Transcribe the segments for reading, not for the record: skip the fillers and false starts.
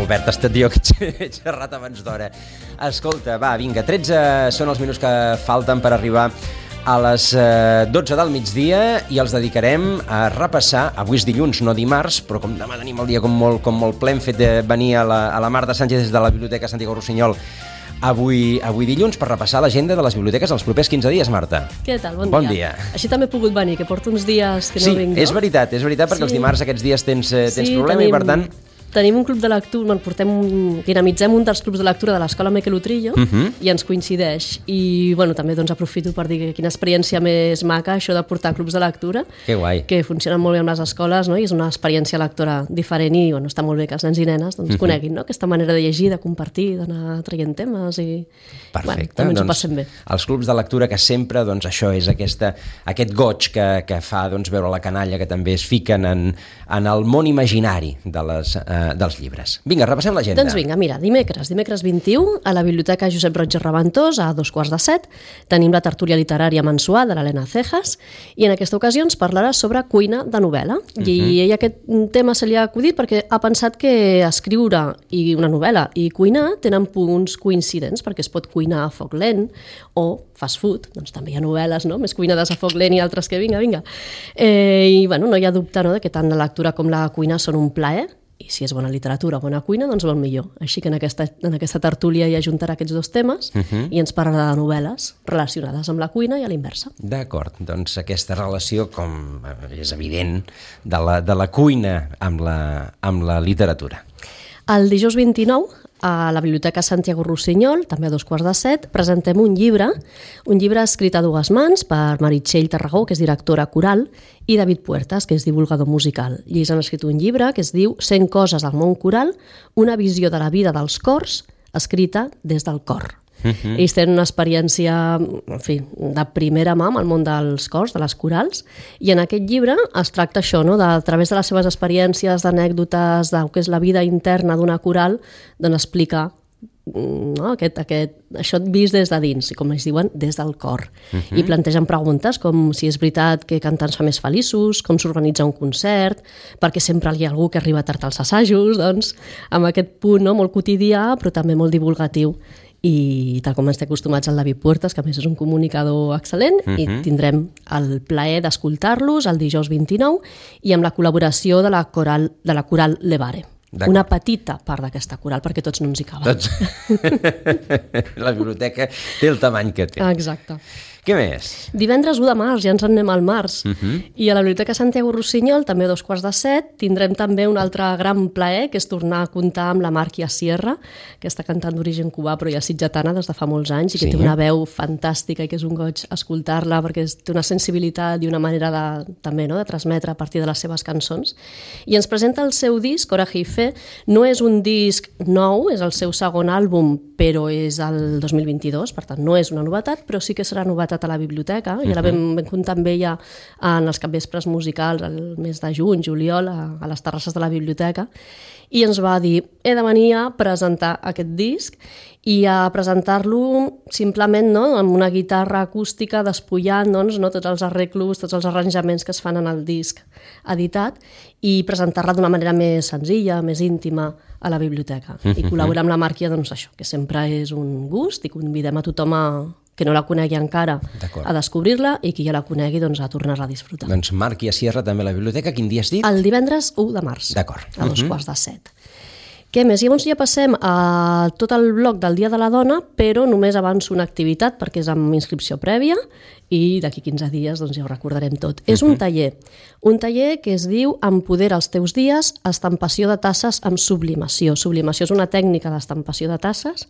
Albert, ha estat jo que he xerrat abans d'hora. Escolta, va, vinga, 13 són els minuts que falten per arribar a les 12 del migdia i els dedicarem a repassar, avui és dilluns, no dimarts, però com demà tenim el dia com molt ple, hem fet venir a la Marta Sánchez des de la Biblioteca Santiago Rossinyol avui dilluns per repassar l'agenda de les biblioteques els propers 15 dies, Marta. Què tal? Bon dia. Així també he pogut venir, que porto uns dies que no vinc, no? Sí, és veritat, perquè els dimarts aquests dies tens problema i per tant... Tenim un club de lectura, dinamitzem un dels clubs de lectura de l'Escola Miquel Utrillo i ens coincideix. I també aprofito per dir que quina experiència més maca això de portar clubs de lectura. Que guai. Que funcionen molt bé amb les escoles, no? I és una experiència lectora diferent i està molt bé que els nens i nenes coneguin, no? Aquesta manera de llegir, de compartir, d'anar traient temes i... Perfecte. També ens ho passem bé. Els clubs de lectura que sempre, això és aquest goig que fa veure la canalla que també es fiquen en el món imaginari dels llibres. Vinga, repassem l'agenda. Doncs vinga, mira, dimecres 21, a la Biblioteca Josep Roig i Reventós, a 6:45, tenim la tertúlia literària mensual de l'Helena Cejas, i en aquesta ocasió ens parlarà sobre cuina de novel·la. I ella aquest tema se li ha acudit perquè ha pensat que escriure i una novel·la i cuinar tenen punts coincidents, perquè es pot cuinar a foc lent o fast food, doncs també hi ha novel·les, no? Més cuinades a foc lent i altres que vinga. I no hi ha dubte, no?, de que tant la lectura com la cuina són un plaer, i si és bona literatura o bona cuina, doncs molt millor. Així que en aquesta tertúlia hi ajuntarà aquests dos temes i ens parlarà de novel·les relacionades amb la cuina i a l'inversa. D'acord, doncs aquesta relació, com és evident, de la cuina amb la literatura. El dijous 29, a la Biblioteca Santiago Rossinyol, també a 6:45, presentem un llibre escrit a dues mans per Meritxell Tarragó, que és directora coral, i David Puertas, que és divulgador musical. I ells han escrit un llibre que es diu 100 coses al món coral, una visió de la vida dels cors, escrita des del cor. Ells tenen una experiència, de primera mà amb el món dels cors, de les corals, i en aquest llibre es tracta això, no?, a través de les seves experiències, d'anècdotes, del que és la vida interna d'una coral, doncs explicar això vist des de dins, i com ells diuen, des del cor. I plantegen preguntes com si és veritat que cantar ens fa més feliços, com s'organitza un concert, perquè sempre hi ha algú que arriba tard als assajos, doncs, amb aquest punt molt quotidià, però també molt divulgatiu. I tal com ens té acostumats el David Puertas, que a més és un comunicador excel·lent, i tindrem el plaer d'escoltar-los el dijous 29 i amb la col·laboració de la coral Levare. Una petita part d'aquesta coral, perquè tots no ens hi caben. La biblioteca té el tamany que té. Exacte. Què més? Divendres 1 de març, ja ens en anem al març. I a la Biblioteca Santiago Rossinyol, també a 6:45, tindrem també un altre gran plaer, que és tornar a comptar amb la Màrquia Sierra, aquesta cantant d'origen cubà, però ja sitgetana des de fa molts anys, i que té una veu fantàstica i que és un goig escoltar-la, perquè té una sensibilitat i una manera també de transmetre a partir de les seves cançons. I ens presenta el seu disc, Coraje y Fe. No és un disc nou, és el seu segon àlbum, però és el 2022, per tant no és una novetat, però sí que serà novetat a la biblioteca, i la vam comptar amb ella en els capvespres musicals el mes de juny, juliol, a les terrasses de la biblioteca, i ens va dir, he de venir a presentar aquest disc i a presentar-lo simplement amb una guitarra acústica despullant tots els arreglos, tots els arranjaments que es fan en el disc editat, i presentar-la d'una manera més senzilla, més íntima a la biblioteca. I col·laborar amb la Màrquia, això, que sempre és un gust, i convidem a tothom que no la conegui encara a descobrir-la, i qui ja la conegui a tornar-la a disfrutar. Doncs Màrquia Sierra també a la biblioteca. Quin dia has dit? El divendres 1 de març, a 6:45. Què més? Llavors ja passem a tot el bloc del Dia de la Dona, però només avanço una activitat perquè és amb inscripció prèvia i d'aquí 15 dies ja ho recordarem tot. És un taller que es diu Empodera els teus dies, estampació de tasses amb sublimació. Sublimació és una tècnica d'estampació de tasses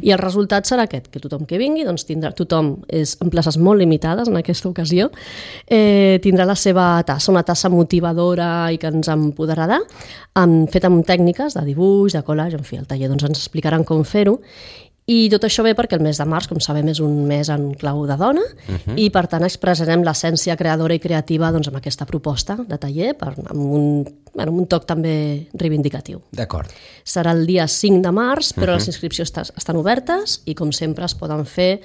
i el resultat serà aquest, que tothom que vingui, tindrà, tothom és en places molt limitades en aquesta ocasió, tindrà la seva tassa, una tassa motivadora i que ens empoderarà, feta amb tècniques de dibuix, de collage, en fi, el taller ens explicaran com fer-ho. I tot això ve perquè el mes de març, com sabem, és un mes en clau de dona i, per tant, expressarem l'essència creadora i creativa amb aquesta proposta de taller amb un toc també reivindicatiu. D'acord. Serà el dia 5 de març, però les inscripcions estan obertes i, com sempre, es poden fer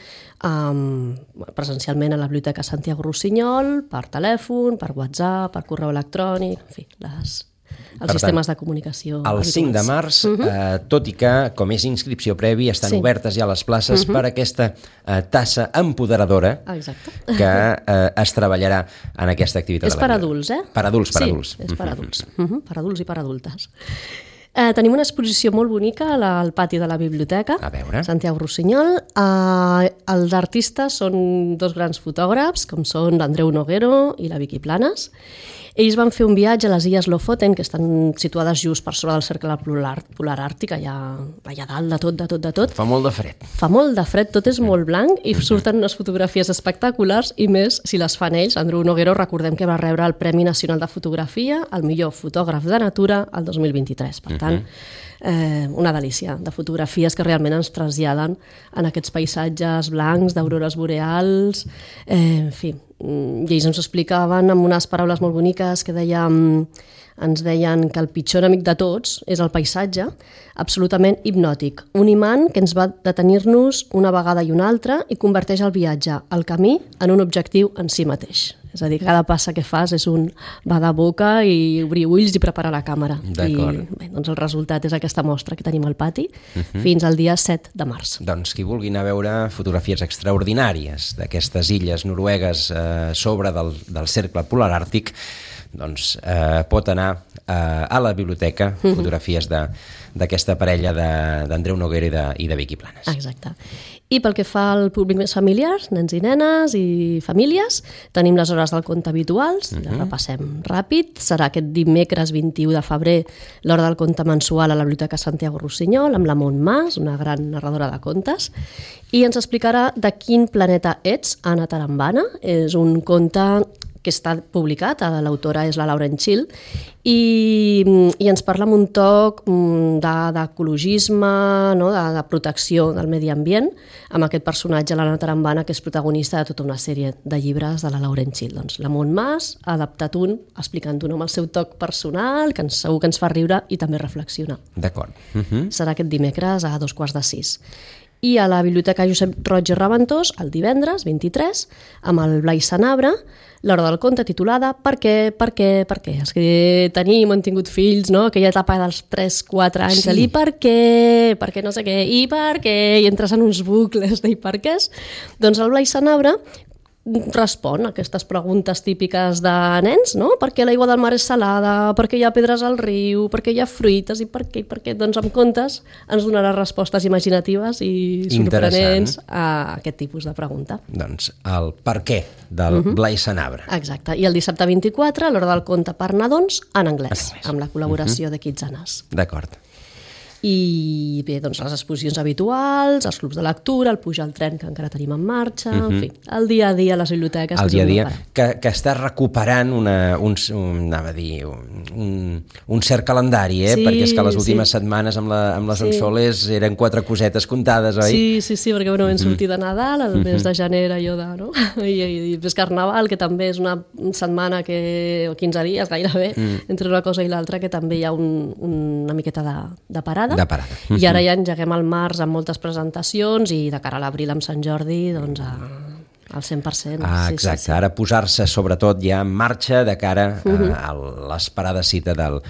presencialment a la Biblioteca Santiago Rossinyol, per telèfon, per WhatsApp, per correu electrònic, en fi, els sistemes de comunicació. El 5 de març, tot i que, com és inscripció previ, estan obertes ja les places per aquesta tassa empoderadora que es treballarà en aquesta activitat. És per adults, Per adults, per adults. Sí, és per adults. Per adults i per adultes. Tenim una exposició molt bonica al pati de la biblioteca, A veure. Santiago Rossinyol. Els artistes són dos grans fotògrafs, com són l'Andreu Noguero i la Vicky Planas. Ells van fer un viatge a les illes Lofoten, que estan situades just per sobre del cercle polar àrtic, allà dalt de tot. Fa molt de fred. Fa molt de fred, tot és molt blanc i surten unes fotografies espectaculars i més si les fan ells. Andreu Noguero, recordem que va rebre el Premi Nacional de Fotografia, el millor fotògraf de natura, el 2023. Per tant, una delícia de fotografies que realment ens traslladen en aquests paisatges blancs, d'aurores boreals, en fi. I ells ens explicaven amb unes paraules molt boniques que ens deien que el pitjor enemic de tots és el paisatge, absolutament hipnòtic. Un imant que ens va detenir-nos una vegada i una altra i converteix el viatge, el camí, en un objectiu en si mateix. És a dir, cada passa que fas és un va de boca i obrir ulls i preparar la càmera. D'acord. I bé, doncs el resultat és aquesta mostra que tenim al pati fins al dia 7 de març. Doncs qui vulgui anar a veure fotografies extraordinàries d'aquestes illes noruegues sobre del cercle polar àrtic, doncs pot anar a la biblioteca, fotografies d'aquesta parella d'Andreu Noguera i de Vicky Planas. Exacte. I pel que fa al públic més familiar, nens i nenes i famílies, tenim les hores del conte habituals, les repassem ràpid. Serà aquest dimecres 21 de febrer l'hora del conte mensual a la Biblioteca Santiago Rossinyol amb la Montmàs, una gran narradora de contes, i ens explicarà de quin planeta ets, Anna Tarambana. És un conte que està publicat, l'autora és la Lauren Chill, i ens parla amb un toc d'ecologisme, no? de protecció del medi ambient, amb aquest personatge, l'Anna Tarambana, que és protagonista de tota una sèrie de llibres de la Lauren Chill. Doncs la Montmàs ha adaptat un, explicant-ho amb el seu toc personal, que segur que ens fa riure i també reflexionar. D'acord. Serà aquest dimecres a 5:45. I a la Biblioteca Josep Roig i Raventós, el divendres 23, amb el Blai Sanabra, l'hora del conte titulada Per què? Els que tenim, hem tingut fills, no? Aquella etapa dels 3-4 anys, Sí. i per què no sé què, i per què, i entres en uns bucles de i per quès. Doncs el Blai Sanabra respon a aquestes preguntes típiques de nens, no? Per què l'aigua del mar és salada? Per què hi ha pedres al riu? Per què hi ha fruites? I per què? Doncs amb contes ens donarà respostes imaginatives i sorprenents a aquest tipus de pregunta. Doncs el per què del Blai Sanabra. Exacte. I el dissabte 24, a l'hora del conte per nadons, en anglès, amb la col·laboració de Kitzanas. D'acord. I bé, doncs les exposicions habituals, els clubs de lectura, el pujar al tren que encara tenim en marxa, en fi, el dia a dia a les biblioteques. El dia a dia, que està recuperant un cert calendari, Sí, perquè és que les últimes setmanes amb les Onsoles eren 4 cosetes comptades, oi? Sí, perquè bueno, vam sortir de Nadal, el mes de gener allò de, no? I després Carnaval, que també és una setmana o 15 dies gairebé, entre una cosa i l'altra, que també hi ha una miqueta de parada. I ara ja engeguem al març amb moltes presentacions i de cara a l'abril amb Sant Jordi, doncs al 100%. Exacte, sí. Ara posar-se sobretot ja en marxa de cara a l'esperada cita del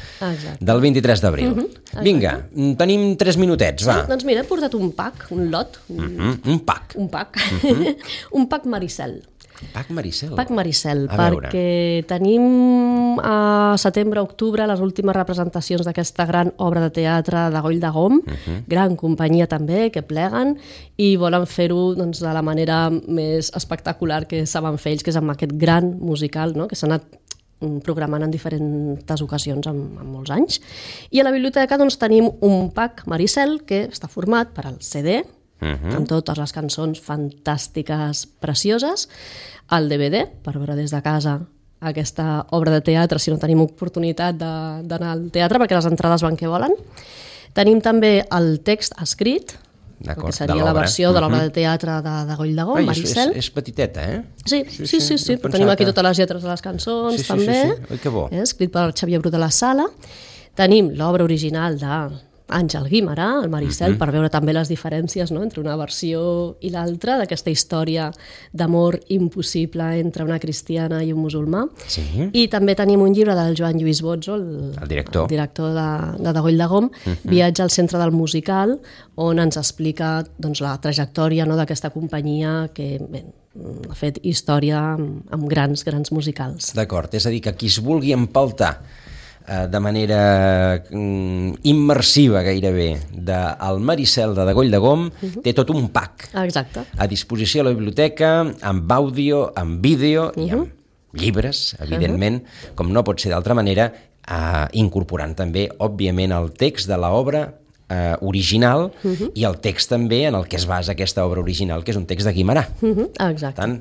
23 d'abril. Vinga, tenim 3 minutets, va. Doncs mira, he portat un pack, un lot. Un pack. Un pack. Un pack Maricel. Pack Maricel. Pack Maricel, A veure. perquè tenim a setembre-octubre les últimes representacions d'aquesta gran obra de teatre de Goll de Gom, gran companyia també, que pleguen, i volen fer-ho doncs, de la manera més espectacular que saben fer ells, que és amb aquest gran musical, no? Que s'ha anat programant en diferents ocasions en molts anys. I a la biblioteca doncs, tenim un pack Maricel que està format per al CD, amb totes les cançons fantàstiques, precioses, el DVD, per veure des de casa aquesta obra de teatre, si no tenim oportunitat d'anar al teatre, perquè les entrades van que volen. Tenim també el text escrit, que seria la versió de l'obra de teatre de Goll de Gom, Maricel. És petiteta, eh? Sí, tenim aquí totes les lletres de les cançons, també. Sí, que bo. Escrit per Xavier Bru de la Sala. Tenim l'obra original de Àngel Guimerà, el Maricel, per veure també les diferències, no?, entre una versió i l'altra d'aquesta història d'amor impossible entre una cristiana i un musulmà. Sí. I també tenim un llibre del Joan Lluís Bozzo, el director de Goll de Gom, Viatge al centre del musical, on ens explica doncs, la trajectòria, no?, d'aquesta companyia que ha fet història amb grans musicals. D'acord, és a dir, que qui es vulgui empaltar de manera immersiva gairebé del Maricel de Goll de Gom té tot un pack a disposició a la biblioteca, amb àudio, amb vídeo i amb llibres, evidentment, com no pot ser d'altra manera, incorporant també, òbviament, el text de l'obra original i el text també en el que es basa aquesta obra original, que és un text de Guimerà. Exacte. Per tant,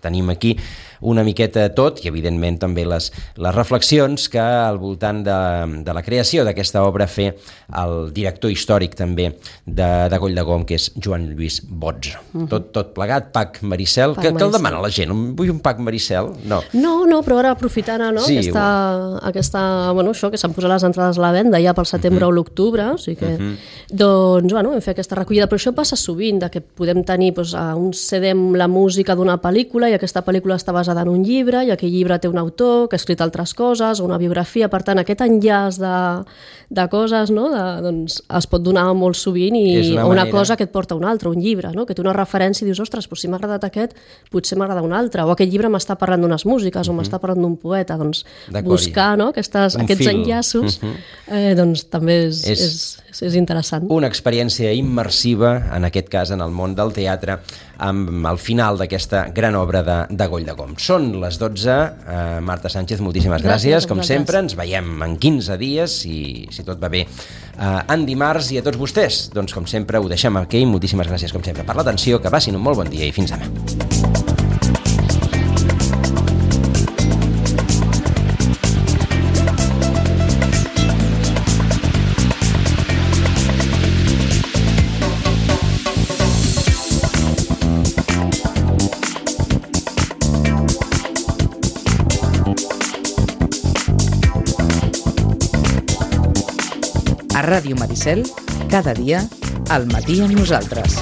tenim aquí una miqueta tot i, evidentment, també les reflexions que al voltant de la creació d'aquesta obra fer el director històric també de Goll de Gom, que és Joan Lluís Bozzo. Tot plegat, pack Maricel. Què el demana la gent? Vull un pack Maricel? No, però ara aprofitant això, que s'han posat les entrades a la venda ja pel setembre o l'octubre, o sigui que doncs, hem fet aquesta recollida, però això passa sovint, que podem tenir un CD amb la música d'una pel·lícula i aquesta pel·lícula està basada en un llibre i aquell llibre té un autor que ha escrit altres coses, una biografia, per tant aquest enllaç de coses, no?, doncs es pot donar molt sovint i una cosa que et porta a una altra, un llibre, no?, que té una referència i dius, ostres, si m'ha agradat aquest, potser m'agrada un altre, o aquest llibre m'està parlant d'unes músiques o m'està parlant d'un poeta, doncs buscar, no?, aquests enllaços doncs també és interessant. Una experiència immersiva, en aquest cas en el món del teatre, amb el final d'aquesta gran obra de Goll de Gom. Són les 12. Marta Sánchez, moltíssimes gràcies. Com sempre, ens veiem en 15 dies, si tot va bé, en dimarts. I a tots vostès, doncs com sempre, ho deixem aquí. Moltíssimes gràcies, com sempre, per l'atenció. Que passin un molt bon dia i fins demà. A Ràdio Maricel, cada dia, al matí amb nosaltres.